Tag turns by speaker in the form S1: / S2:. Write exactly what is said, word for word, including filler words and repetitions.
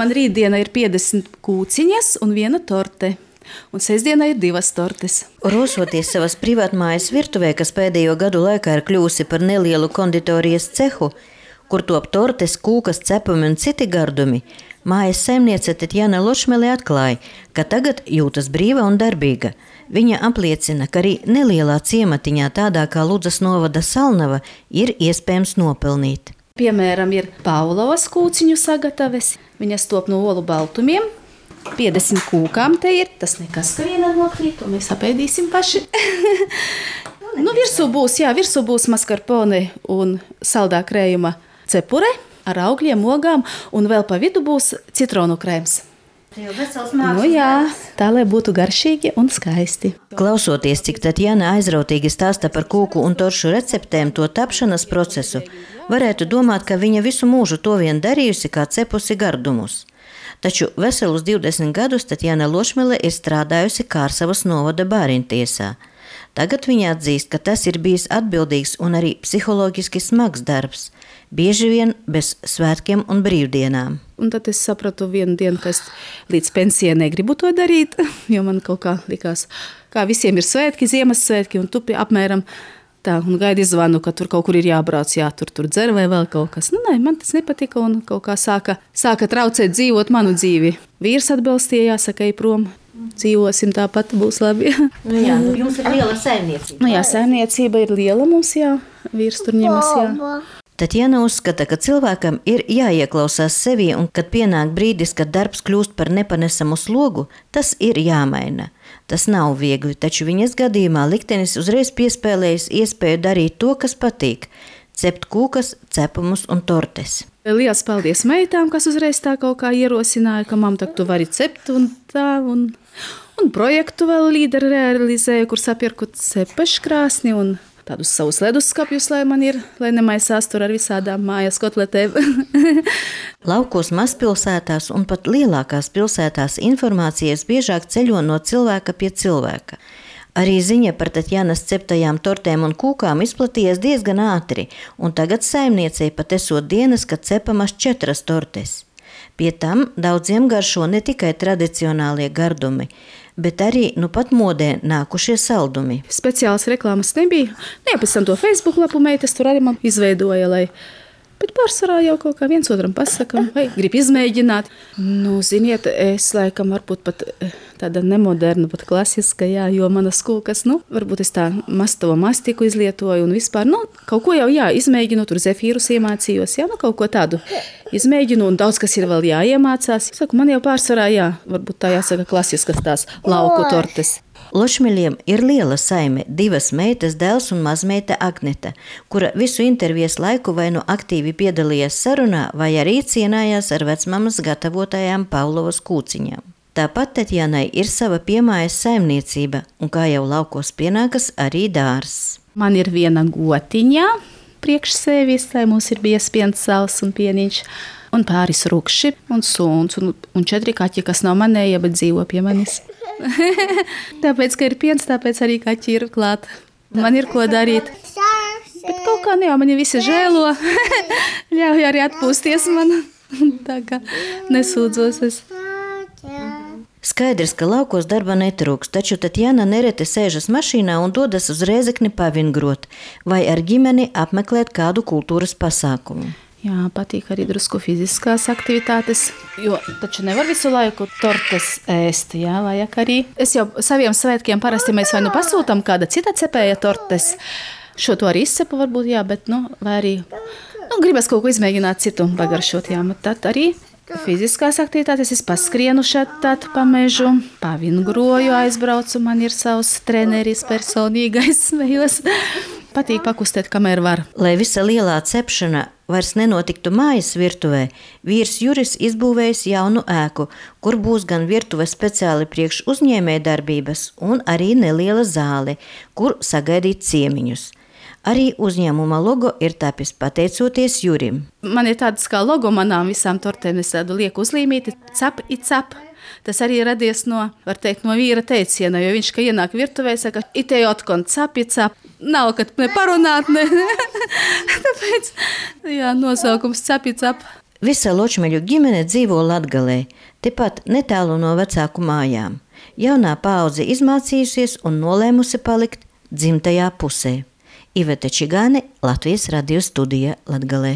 S1: Man rītdiena ir piecdesmit kūciņas un viena torte. Un sestdienā ir divas tortes.
S2: Rosoties savas privātmājas virtuvē, kas pēdējo gadu laikā ir kļūsi par nelielu konditorijas cehu, kur top tortes, kūkas, cepumi un citi gardumi, mājas saimniece Tatjana Lošmele atklāja, ka tagad jūtas brīva un darbīga. Viņa apliecina, ka arī nelielā ciematiņā tādā kā Ludzas novada Salnava ir iespējams nopelnīt.
S1: Piemēram, ir Paulovas kūciņu sagataves. Viņas top no olu baltumiem. piecdesmit kūkām te ir. Tas nekas, ka viena nokrīt, to mēs apēdīsim paši. Nu, virsū būs, jā, virsū būs maskarpone un saldā krējuma cepure ar augļiem, ogām, un vēl pa vidu būs citronu krēms. Nu jā, tā, lai būtu garšīgi un skaisti.
S2: Klausoties, cik Tatjana aizrautīgi stāsta par kūku un toršu receptēm, to tapšanas procesu, varētu domāt, ka viņa visu mūžu to vien darījusi, kā cepusi gardumus. Taču veselus divdesmit gadus Tatjana Lošmele ir strādājusi Kārsavas novada bāriņtiesā. Tagad viņa atzīst, ka tas ir bijis atbildīgs un arī psiholoģiski smags darbs, bieži vien bez svētkiem un brīvdienām.
S1: Un tad es sapratu vienu dienu, ka es līdz pensijai negribu to darīt, jo man kaut kā likās, kā visiem ir svētki, Ziemassvētki, un tu apmēram tā, un gaidi zvanu, ka tur kaut kur ir jābrauc, jātur tur dzer vai vēl kaut kas. Nu, nē, man tas nepatika un kaut kā sāka, sāka traucēt dzīvot manu dzīvi. Vīrs atbalstīja, jāsaka, ej prom. Dzīvosim tāpat, būs labi.
S2: Nu jā, nu jums ir liela saimniecība.
S1: Nu jā, saimniecība ir liela mums, jā. Vīrs tur ņemas, jā.
S2: Tatjana uzskata, ka cilvēkam ir jāieklausās sevī un, kad pienāk brīdis, kad darbs kļūst par nepanesamu slogu, tas ir jāmaina. Tas nav viegli, taču viņas gadījumā liktenis uzreiz piespēlējas iespēju darīt to, kas patīk – cept kūkas, cepumus un tortes.
S1: Liels paldies meitām, kas uzreiz tā kaut kā ierosināja, ka mam, tak tu vari cept un tā, un, un projektu vēl līderi realizēju, kur sapirku cepeškrāsni un tādus savus leduskapjus, lai man ir, lai nemaisās tur ar visādām mājas kotletēm.
S2: Laukos mazpilsētās un pat lielākās pilsētās informācijas biežāk ceļo no cilvēka pie cilvēka. Arī ziņa par Tatjanas ceptajām tortēm un kūkām izplatījies diezgan ātri, un tagad saimniecei pat esot dienas, kad cepamas četras tortes. Pie tam daudziem garšo ne tikai tradicionālie gardumi, bet arī nu pat modē nākušie saldumi.
S1: Speciālas reklāmas nebija. Nē, pēc tam to Facebook lapu meitas tur arī man izveidoja, lai... Bet pārsvarā jau kaut kā viens otram pasakam, vai grib izmēģināt. Nu, ziniet, es laikam varbūt pat tāda nemoderna, pat klasiska, jā, jo manas kūkas, nu, varbūt es tā mastovo mastiku izlietoju un vispār, nu, kaut ko jau, jā, izmēģinu, tur zefīrus iemācījos, jā, nu, kaut ko tādu izmēģinu un daudz, kas ir vēl jāiemācās. Saku, man jau pārsvarā, jā, varbūt tā jāsaka klasiskas tās lauku tortes.
S2: Lošmeļiem ir liela saime, divas meitas, dēls un mazmeita Agneta, kura visu intervijas laiku vai nu aktīvi piedalījās sarunā, vai arī cienājās ar vecmamas gatavotajām Paulovas kūciņām. Tāpat Tatjanai ir sava piemājas saimniecība, un kā jau laukos pienākas arī dārs.
S1: Man ir viena gotiņa priekš sevis, lai mums ir bies piens, sals un pieniņš, un pāris rukši un suns, un, un četri kaķi, kas nav manēja, bet dzīvo pie manis. Tāpēc, ka ir piens, tāpēc arī kaķi ir klāt. Man ir ko darīt. Bet kaut kā ne jau mani visi žēlo. Ļauj arī atpūsties man. Tā kā nesūdzos es.
S2: Skaidrs, ka laukos darba netrūks, taču Tatjana nereti sēžas mašīnā un dodas uz Rēzekni pavingrot vai ar ģimeni apmeklēt kādu kultūras pasākumu.
S1: Jā, patīk arī drusku fiziskās aktivitātes, jo taču nevar visu laiku tortes ēst, jā, vajag arī. Es jau saviem svētkiem parasti mēs vai nu pasūtam kāda cita cepēja tortes. Šo to arī izcepu varbūt, jā, bet, nu, vai arī, nu, gribas kaut ko izmēģināt citu pagaršot, jā, bet tad arī fiziskās aktivitātes, es paskrienu šeit tad pa mežu, pavingroju, aizbraucu, man ir savs treneris personīgais, smējos. Patīk pakustēt, kamēr var.
S2: Lai visa lielā cepšana vairs nenotiktu mājas virtuvē, vīrs Juris izbūvējis jaunu ēku, kur būs gan virtuve speciāli priekš uzņēmēja darbības un arī neliela zāle, kur sagaidīt ciemiņus. Arī uzņēmuma logo ir tapis pateicoties Jurim.
S1: Man ir tāds kā logo manām visām tortēm, es tādu lieku uzlīmīti, cap i cap. Tas arī radies no, var teikt, no vīra teiciena, jo viņš, ka ienāk virtuvē, saka, itei otkon cap i cap. Nav, kad ne parunāt, ne. Tāpēc, jā, nosaukums cap i cap.
S2: Visa Ločmeļu ģimene dzīvo Latgalē, tepat netālu no vecāku mājām. Jaunā paudze izmācījusies un nolēmusi palikt dzimtajā pusē. Iveta Čigāne, Latvijas radio studija Latgalē.